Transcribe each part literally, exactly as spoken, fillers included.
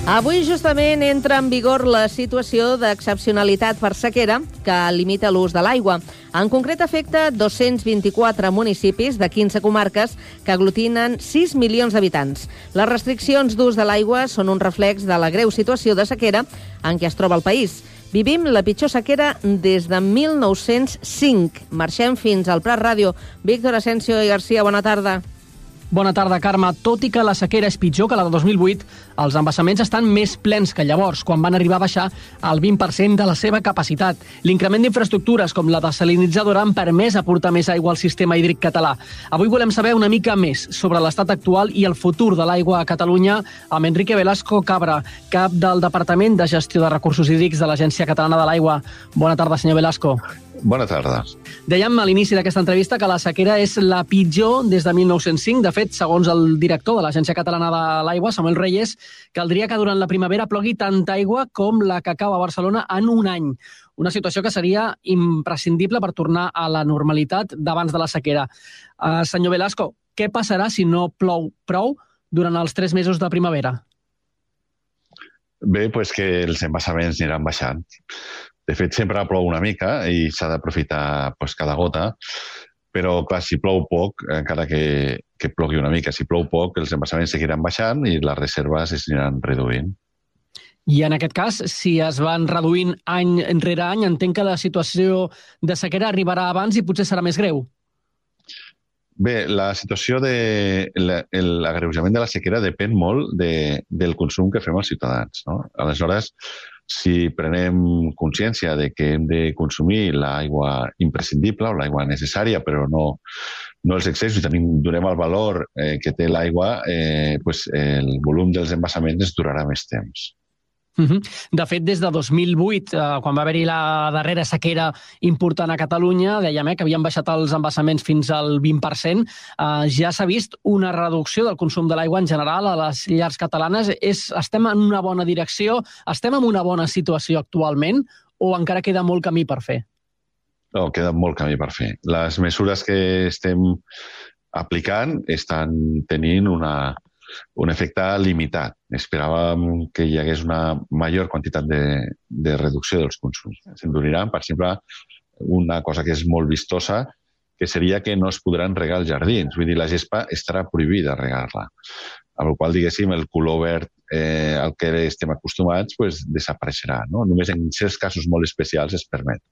Avui justament entra en vigor la situació d'excepcionalitat per sequera que limita l'ús de l'aigua. En concret afecta dos-cents vint-i-quatre municipis de quinze comarques que aglutinen sis milions d'habitants. Les restriccions d'ús de l'aigua són un reflex de la greu situació de sequera en què es troba el país. Vivim la pitjor sequera des de mil nou-cents cinc. Marxem fins al Prat Ràdio. Víctor Asensio i Garcia, bona tarda. Bona tarda, Carme. Tot i que la sequera és pitjor que la de dos mil vuit, els embassaments estan més plens que llavors, quan van arribar a baixar el vint per cent de la seva capacitat. L'increment d'infraestructures com la desalinitzadora han permès aportar més aigua al sistema hídric català. Avui volem saber una mica més sobre l'estat actual i el futur de l'aigua a Catalunya amb Enrique Velasco Cabra, cap del Departament de Gestió de Recursos Hídrics de l'Agència Catalana de l'Aigua. Bona tarda, senyor Velasco. Bona tarda. Dèiem a l'inici d'aquesta entrevista que la sequera és la pitjor des de mil nou-cents cinc. De fet, segons el director de l'Agència Catalana de l'Aigua, Samuel Reyes, caldria que durant la primavera plogui tanta aigua com la que cau a Barcelona en un any. Una situació que seria imprescindible per tornar a la normalitat d'abans de la sequera. Uh, senyor Velasco, què passarà si no plou prou durant els tres mesos de primavera? Bé, doncs que els embassaments aniran baixant. De fet, sempre plou una mica i s'ha d'aprofitar doncs, cada gota, però, clar, si plou poc, encara que, que plogui una mica, si plou poc, els embassaments seguiran baixant i les reserves es aniran reduint. I en aquest cas, si es van reduint any enrere any, entenc que la situació de sequera arribarà abans i potser serà més greu. Bé, la situació de l'agreujament de la sequera depèn molt de, del consum que fem els ciutadans, no? Aleshores, si prenem consciència de que hem de consumir l'aigua imprescindible o l'aigua necessària, però no, no els excessos, i tenim, donem el valor eh, que té l'aigua, eh, pues el volum dels embassaments es durarà més temps. De fet, des de dos mil vuit, quan va haver-hi la darrera sequera important a Catalunya, dèiem eh, que havien baixat els embassaments fins al vint per cent, ja s'ha vist una reducció del consum de l'aigua en general a les llars catalanes. És, estem en una bona direcció? Estem en una bona situació actualment o encara queda molt camí per fer? No, queda molt camí per fer. Les mesures que estem aplicant estan tenint una... un efecte limitat. Esperàvem que hi hagués una major quantitat de, de reducció dels consums. S'enduriran, per exemple, una cosa que és molt vistosa, que seria que no es podran regar els jardins. Vull dir, la gespa estarà prohibida regar-la. Amb la qual cosa, diguéssim, el color verd eh, al que estem acostumats pues, desapareixerà. No? Només en certs casos molt especials es permet.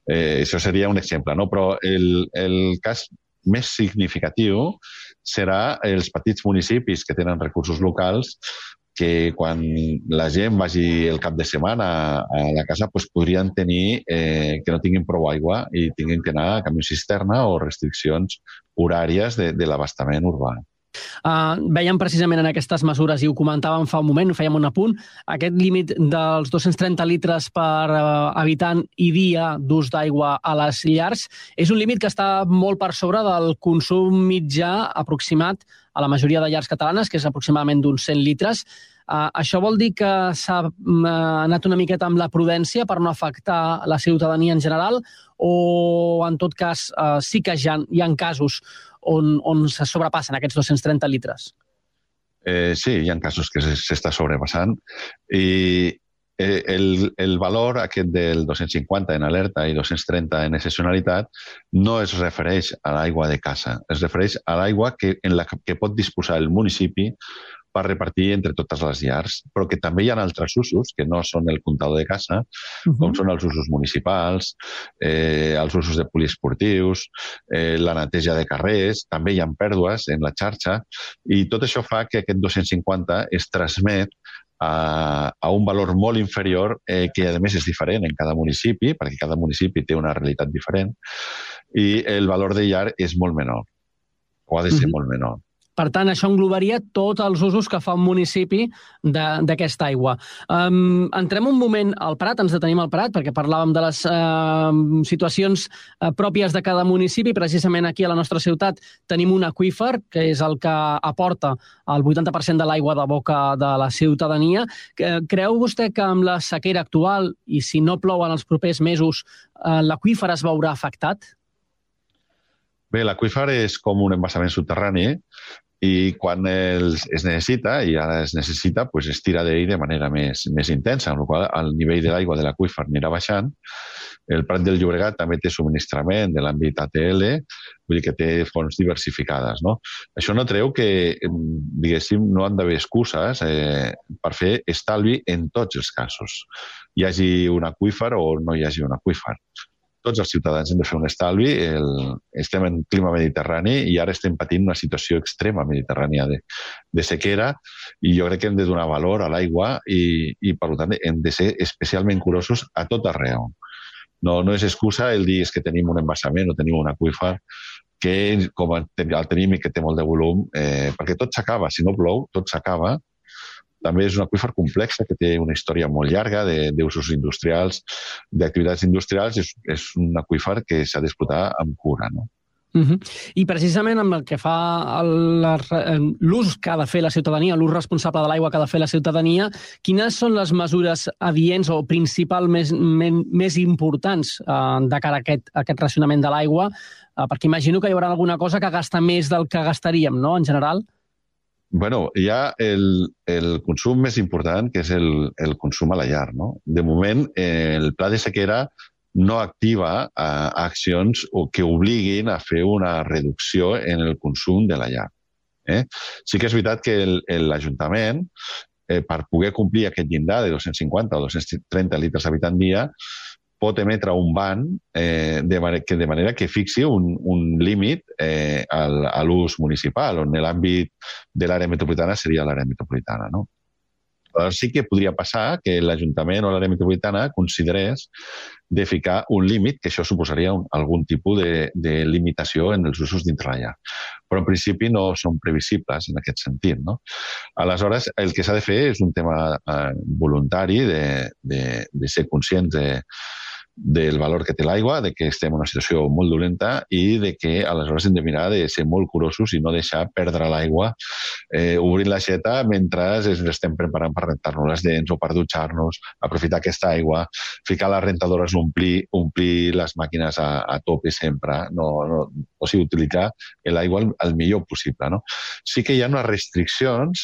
Eh, això seria un exemple, no? Però el, el cas més significatiu serà els petits municipis que tenen recursos locals que quan la gent vagi el cap de setmana a la casa pues, podrien tenir eh, que no tinguin prou aigua i tinguin que anar a camió cisterna o restriccions horàries de, de l'abastament urbà. Uh, veiem precisament en aquestes mesures, i ho comentàvem fa un moment, ho fèiem un apunt, aquest límit dels dos-cents trenta litres per uh, habitant i dia d'ús d'aigua a les llars és un límit que està molt per sobre del consum mitjà aproximat a la majoria de llars catalanes, que és aproximadament d'uns cent litres. Uh, això vol dir que s'ha uh, anat una miqueta amb la prudència per no afectar la ciutadania en general, o en tot cas uh, sí que hi ha, hi ha casos on, on se sobrepassen aquests dos-cents trenta litres? Eh, sí, hi ha casos que s'està sobrepassant i el, el valor aquest del dos-cents cinquanta en alerta i dos-cents trenta en excepcionalitat no es refereix a l'aigua de casa, es refereix a l'aigua que, en la que pot disposar el municipi per repartir entre totes les llars, però que també hi ha altres usos que no són el comptador de casa, uh-huh. com són els usos municipals, eh, els usos de poliesportius, eh, la neteja de carrers, també hi ha pèrdues en la xarxa, i tot això fa que aquest dos-cents cinquanta es transmet a, a un valor molt inferior, eh, que a més és diferent en cada municipi, perquè cada municipi té una realitat diferent, i el valor de llar és molt menor, o ha de ser uh-huh. molt menor. Per tant, això englobaria tots els usos que fa un municipi d'aquesta aigua. Um, entrem un moment al Prat, ens detenim al Prat, perquè parlàvem de les uh, situacions uh, pròpies de cada municipi. Precisament aquí a la nostra ciutat tenim un aqüífer, que és el que aporta el vuitanta per cent de l'aigua de boca de la ciutadania. Creu vostè que amb la sequera actual, i si no plou en els propers mesos, uh, l'aqüífer es veurà afectat? Bé, l'aqüífer és com un embassament subterrani i quan els, es necessita, i ara es necessita, pues es tira d'ell de manera més, més intensa, amb la qual cosa el nivell de l'aigua de l'aqüífer anirà baixant. El Prat del Llobregat també té subministrament de l'àmbit A T L, vull dir que té fonts diversificades, no? Això no treu que, diguéssim, no han d'haver excuses eh, per fer estalvi en tots els casos. Hi hagi un aqüífer o no hi hagi un aqüífer. Tots els ciutadans hem de fer un estalvi. El, estem en clima mediterrani i ara estem patint una situació extrema mediterrània de, de sequera i jo crec que hem de donar valor a l'aigua i, i, per tant, hem de ser especialment curosos a tot arreu. No, no és excusa el dir que tenim un embassament o tenim un aqüífer que, com el tenim i que té molt de volum, eh, perquè tot s'acaba. Si no plou, tot s'acaba. També és un aqüífer complex que té una història molt llarga d'usos industrials, d'activitats industrials. És, és un aqüífer que s'ha d'explotar amb cura, no? Uh-huh. I precisament amb el que fa l'ús que ha de fer la ciutadania, l'ús responsable de l'aigua que ha de fer la ciutadania, quines són les mesures adients o principalment més, més importants eh, de cara a aquest, a aquest racionament de l'aigua? Eh, perquè imagino que hi haurà alguna cosa que gasta més del que gastaríem, no?, en general. Bueno, hi ha el, el consum més important, que és el, el consum a la llar, no? De moment, eh, el pla de sequera no activa eh, accions que obliguin a fer una reducció en el consum de la llar. Eh? Sí que és veritat que l'Ajuntament, eh, per poder complir aquest llindar de dos-cents cinquanta o dos-cents trenta litres habitant dia, pot emetre un ban eh, de, manera, que, de manera que fixi un, un límit eh, al, a l'ús municipal, on l'àmbit de l'àrea metropolitana seria l'àrea metropolitana, no? Però sí que podria passar que l'Ajuntament o l'àrea metropolitana considerés de ficar un límit, que això suposaria un, algun tipus de, de limitació en els usos dintre la llar. Però en principi no són previsibles en aquest sentit, no? Aleshores, el que s'ha de fer és un tema eh, voluntari de, de, de ser conscients de del valor que té l'aigua, de que estem en una situació molt dolenta i de que aleshores hem de mirar de ser molt curosos i no deixar perdre l'aigua eh, obrint l'aixeta mentre ens estem preparant per rentar-nos les dents o per dutxar-nos, aprofitar aquesta aigua, ficar les rentadores, omplir, omplir les màquines a, a tope sempre, no, no, o sigui, utilitzar l'aigua el, el millor possible, no? Sí que hi ha unes restriccions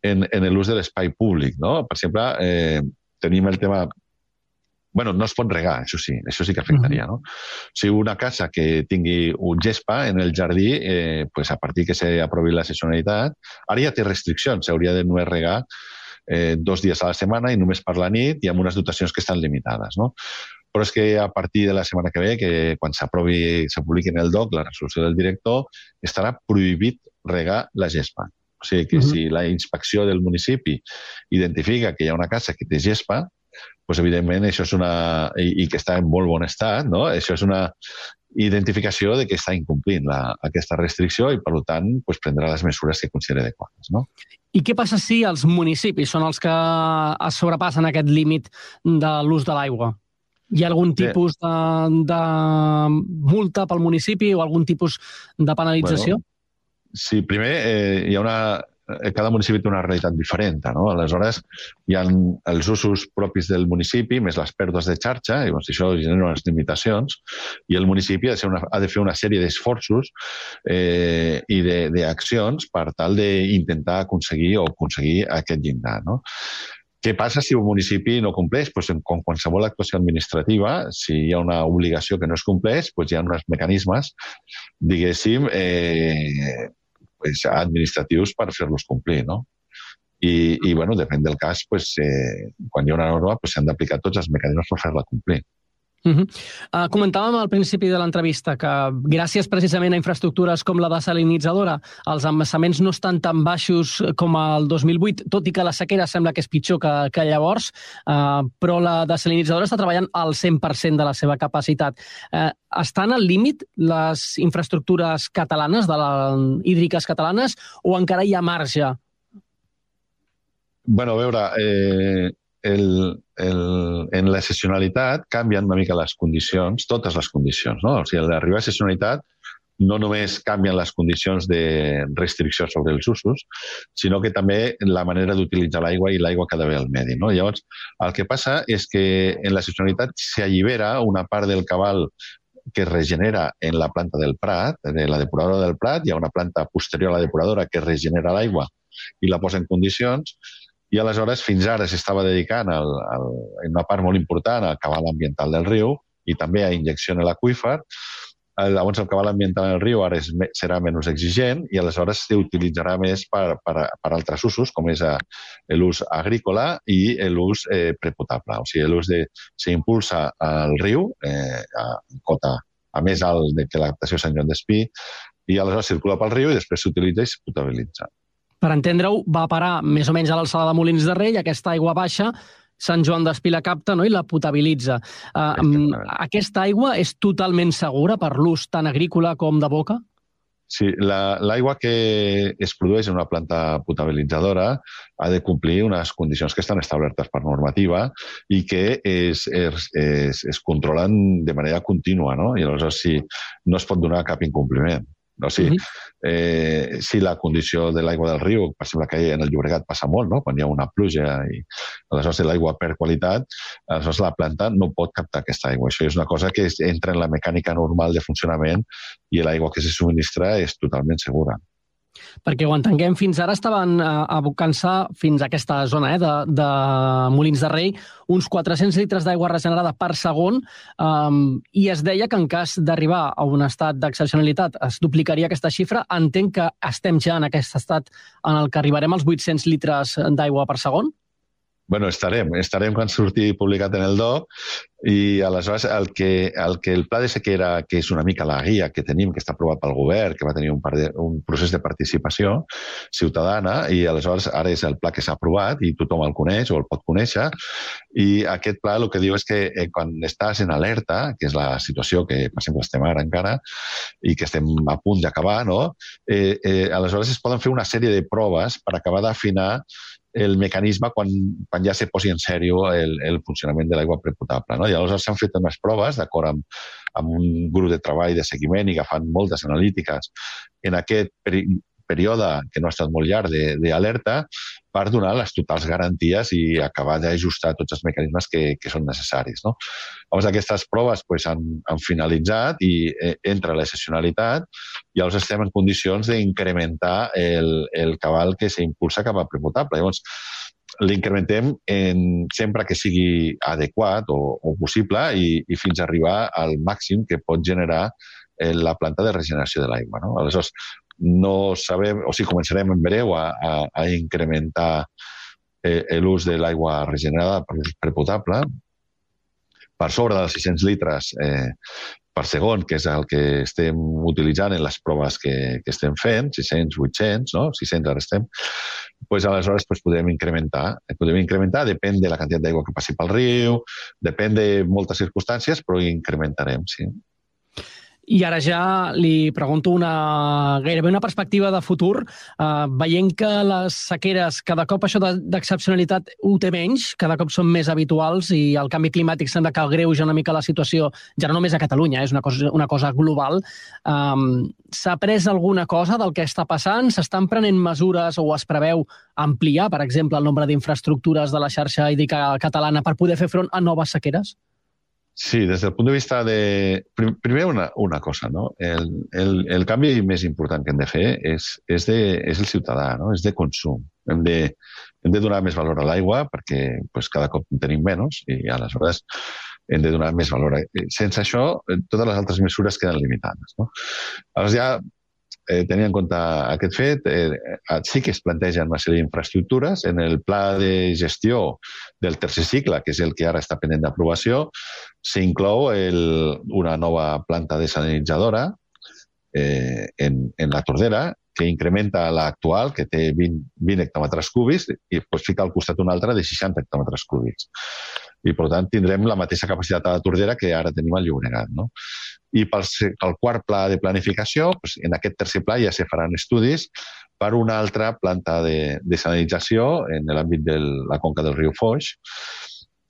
en, en l'ús de l'espai públic, no? Per exemple, eh, tenim el tema... Bueno, no es pot regar, això sí, això sí que afectaria, no? Si una casa que tingui un gespa en el jardí, eh, pues a partir que s'aprovi la sezonalitat, ara ja té restriccions, s'hauria de només regar eh, dos dies a la setmana i només per la nit i amb unes dotacions que estan limitades, no? Però és que a partir de la setmana que ve, que quan s'aprovi, se publiqui en el D O C la resolució del director, estarà prohibit regar la gespa. O sigui que uh-huh. si la inspecció del municipi identifica que hi ha una casa que té gespa, pues evidentment això és una... I, i que està en molt bon estat, no? Això és una identificació de que està incomplint la, aquesta restricció i, per tant, pues, prendrà les mesures que consideri adequades, no? I què passa si els municipis són els que es sobrepassen aquest límit de l'ús de l'aigua? Hi ha algun tipus de, de multa pel municipi o algun tipus de penalització? Bueno, sí, primer eh, hi ha una... Cada municipi té una realitat diferent, no? Aleshores, hi ha els usos propis del municipi, més les pèrdues de xarxa, i doncs, això genera unes limitacions, i el municipi ha de, ser una, ha de fer una sèrie d'esforços eh, i d'accions per tal d'intentar aconseguir o aconseguir aquest llindar, no? Què passa si un municipi no compleix? Pues, com qualsevol actuació administrativa, si hi ha una obligació que no es compleix, pues, hi ha uns mecanismes, diguéssim, eh, pues, administratius per fer-los complir, no? I, i bueno, depèn del cas, pues, eh, quan hi ha una norma, pues, s'han d'aplicar tots els mecanismes per fer-la complir. Uh-huh. Uh, comentàvem al principi de l'entrevista que gràcies precisament a infraestructures com la desalinitzadora els embassaments no estan tan baixos com el dos mil vuit, tot i que la sequera sembla que és pitjor que, que llavors, uh, però la desalinitzadora està treballant al cent per cent de la seva capacitat. Uh, estan al límit les infraestructures catalanes, de la, hídriques catalanes, o encara hi ha marge? Bueno, a veure... Eh... El, el, en la sezonalitat canvien una mica les condicions, totes les condicions, no? O sigui, a l'arribar a sezonalitat no només canvien les condicions de restricció sobre els usos, sinó que també la manera d'utilitzar l'aigua i l'aigua que ha d'haver al medi, no? Llavors, el que passa és que en la sezonalitat s'allibera una part del cabal que es regenera en la planta del Prat, en la depuradora del Prat, hi ha una planta posterior a la depuradora que regenera l'aigua i la posa en condicions, i aleshores fins ara s'estava dedicant al, al, en una part molt important al cabal ambiental del riu i també a injecció en l'aqüífer. Llavors el cabal ambiental en el riu ara és, serà menys exigent i aleshores s'utilitzarà més per, per, per altres usos, com és l'ús agrícola i l'ús eh, prepotable. O sigui, l'ús de... s'impulsa al riu eh, a cota a més alt que l'adaptació Sant Joan d'Espí i aleshores circula pel riu i després s'utilitza i es potabilitza. Per entendre-ho, va parar més o menys a l'alçada de Molins de Rei, aquesta aigua baixa, Sant Joan d'Espí la capta, no?, i la potabilitza. Uh, aquesta aigua és totalment segura per l'ús tant agrícola com de boca? Sí, l'aigua que es produeix en una planta potabilitzadora ha de complir unes condicions que estan establertes per normativa i que es, es, es, es controlen de manera contínua, no? I aleshores sí, no es pot donar cap incompliment. O sigui, eh, si la condició de l'aigua del riu, per exemple, que en el Llobregat passa molt, no?, quan hi ha una pluja i aleshores l'aigua perd qualitat, aleshores la planta no pot captar aquesta aigua. Això és una cosa que entra en la mecànica normal de funcionament i l'aigua que se subministra és totalment segura. Perquè ho entenguem, fins ara estaven abocant-se fins a aquesta zona eh, de, de Molins de Rei uns quatre-cents litres d'aigua regenerada per segon um, i es deia que en cas d'arribar a un estat d'excepcionalitat es duplicaria aquesta xifra. Entenc que estem ja en aquest estat en el que arribarem als vuit-cents litres d'aigua per segon? Bueno, estarem. Estarem quan surti publicat en el D O i aleshores el que, el que el pla de sequera, que és una mica la guia que tenim, que està aprovat pel govern, que va tenir un, de, un procés de participació ciutadana i aleshores ara és el pla que s'ha aprovat i tothom el coneix o el pot conèixer i aquest pla el que diu és que eh, quan estàs en alerta, que és la situació que per exemple estem ara encara i que estem a punt d'acabar, no? eh, eh, aleshores es poden fer una sèrie de proves per acabar d'afinar el mecanisme quan, quan ja se posi en sèrio el, el funcionament de l'aigua prepotable. No? I aleshores s'han fet unes proves, d'acord amb, amb un grup de treball de seguiment i agafant moltes analítiques en aquest peri període, que no ha estat molt llarg, d'alerta, per donar les totals garanties i acabar d'ajustar tots els mecanismes que, que són necessaris. No? Llavors, aquestes proves pues, han, han finalitzat i eh, entra l'excepcionalitat i llavors estem en condicions d'incrementar el, el cabal que s'impulsa cap a prepotable. Llavors, l'incrementem sempre que sigui adequat o, o possible i, i fins a arribar al màxim que pot generar eh, la planta de regeneració de l'aigua. No? Aleshores, no sabem, o sigui, començarem en breu a, a, a incrementar eh, l'ús de l'aigua regenerada per ús prepotable per sobre dels sis-cents litres eh, per segon, que és el que estem utilitzant en les proves que, que estem fent, sis-cents, vuit-cents, no? sis-cents ara estem, pues aleshores pues, podem incrementar. Podem incrementar, depèn de la quantitat d'aigua que passi pel riu, depèn de moltes circumstàncies, però incrementarem, sí. I ara ja li pregunto una, gairebé una perspectiva de futur. Uh, veient que les sequeres, cada cop això d'excepcionalitat ho té menys, cada cop són més habituals i el canvi climàtic sembla que agreuja una mica la situació, ja no només a Catalunya, és una cosa, una cosa global. Um, S'ha pres alguna cosa del que està passant? S'estan prenent mesures o es preveu ampliar, per exemple, el nombre d'infraestructures de la xarxa hídrica catalana per poder fer front a noves sequeres? Sí, des del punt de vista de... Primer una, una cosa, no? El, el, el canvi més important que hem de fer és, és, de, és el ciutadà, no? És de consum. Hem de, hem de donar més valor a l'aigua perquè pues, cada cop en tenim menys i aleshores hem de donar més valor. Sense això, totes les altres mesures queden limitades. No? Aleshores ja eh, tenint en compte aquest fet, eh, sí que es plantegen una sèrie d'infraestructures. En el pla de gestió del tercer cicle, que és el que ara està pendent d'aprovació, s'inclou una nova planta desalinitzadora eh, en, en la Tordera, que incrementa l'actual, que té vint, vint hectòmetres cúbics, i pues, fica al costat una altra de seixanta hectòmetres cúbics. I, per tant, tindrem la mateixa capacitat a la Tordera que ara tenim al Llobregat. No? I pel, pel quart pla de planificació, pues, en aquest tercer pla ja se faran estudis per una altra planta de desalinització en l'àmbit de la conca del riu Foix,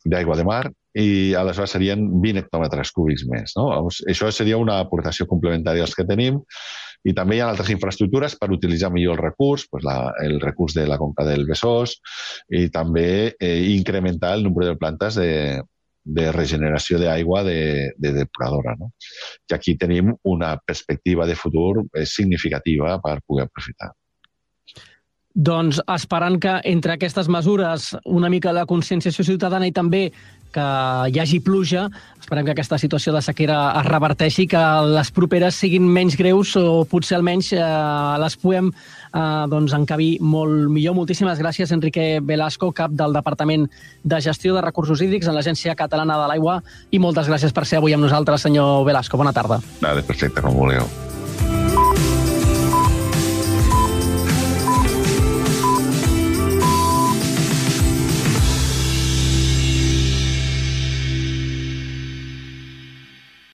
d'aigua de mar, i aleshores serien vint hectòmetres cúbics més. No? Això seria una aportació complementària als que tenim. I també hi ha altres infraestructures per utilitzar millor el recurs, pues la, el recurs de la conca del Besòs, i també eh, incrementar el nombre de plantes de, de regeneració d'aigua de, de depuradora. No? I aquí tenim una perspectiva de futur significativa per poder aprofitar. Doncs esperant que entre aquestes mesures una mica de conscienciació ciutadana i també que hi hagi pluja, esperem que aquesta situació de sequera es reverteixi, que les properes siguin menys greus o potser almenys eh, les puguem eh, doncs, encabir molt millor. Moltíssimes gràcies, Enrique Velasco, cap del Departament de Gestió de Recursos Hídrics en l'Agència Catalana de l'Aigua, i moltes gràcies per ser avui amb nosaltres, senyor Velasco. Bona tarda. Vale, perfecte, com vulgueu.